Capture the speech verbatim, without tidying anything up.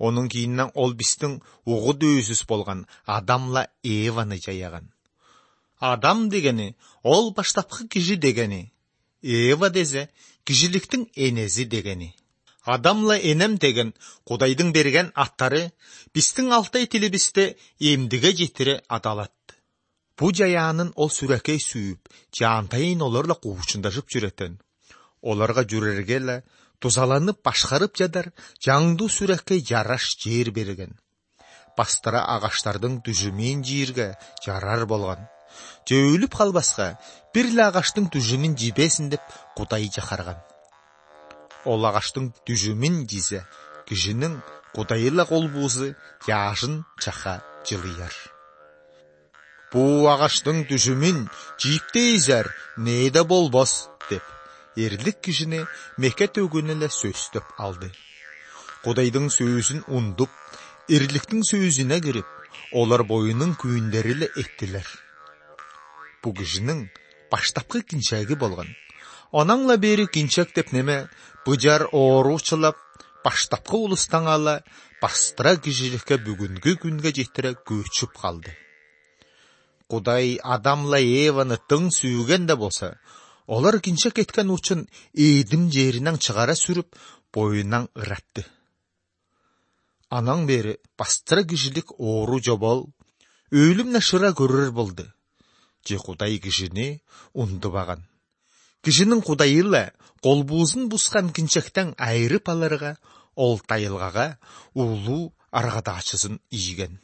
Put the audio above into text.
Onun кийинен ол биздин угу дөйүсүз болгон Адамла Еваны жаяган. Адам дегени ол баштапкы киши дегени. Ева дезе кишиликтин энези дегени. Адамла энем деген Кудайдын берген аттары биздин алтай тилибизде эмдиге жетире адалат. Бу жаяанын ол сүрөкөй сүйүп, жаантайын олорла куучундашып жүрөтөн. Оларга жүрөргө эле тузаланып башкарып жадар жаңдуу сүрөккөй жараш жер берген. Бастыра агаштардын түжүмүн жийирге жарар болгон. Жөөлүп калбаска бир эле агаштын түжүмүн жибесин деп Кудай жакарган. Ол агаштын түжүмүн жизе, кишинин Кудайла колбуусу жаашын чака жылыяр. Бу агаштын түжүмүн жийиптейзер, нээде болбос деп эрлик кишини Мекке төгүнү эле сөздөп алды. Кудайдын сөзүн ундуп, эрликтин сөзүнө кирип, олар боюнун күйүндөрү эле эттилер. Бу кишинин баштапкы кинчеги болгон. Анаңла бери кинчек деп неме быжар ооручулап, баштапкы улустан ала бастыра кишиликке бүгүнгү күнгө жетире көчүп калды. Кудай Адамла Еваны тың сүйген де болса, олар кинчек кеткен учун Эдим жеринен чыгара сүрүп, боюнан ыратты. Анан бери бастыра кишилик оору жобол, өлүмне шыра көрөр болду. Же Кудай кишини ундубаган. Кишинин Кудайыла колбуузун бускан кинчектен айрып аларга, ол тайылгага улуу аргадачысын ийген.